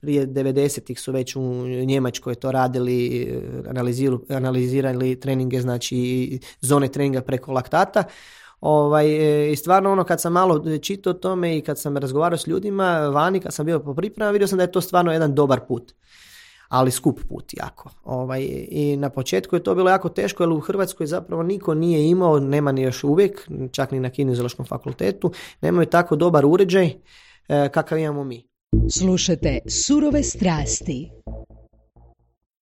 prije 90-ih su već u Njemačkoj to radili, analizirali treninge, znači zone treninga preko laktata. I stvarno kad sam malo čitao o tome i kad sam razgovarao s ljudima vani, kad sam bio po pripremama, vidio sam da je to stvarno jedan dobar put, ali skup put jako. I na početku je to bilo jako teško, jer u Hrvatskoj zapravo niko nije imao, nema ni još uvijek, čak ni na Kineziološkom fakultetu, nemaju tako dobar uređaj kakav imamo mi. Slušajte Surove strasti.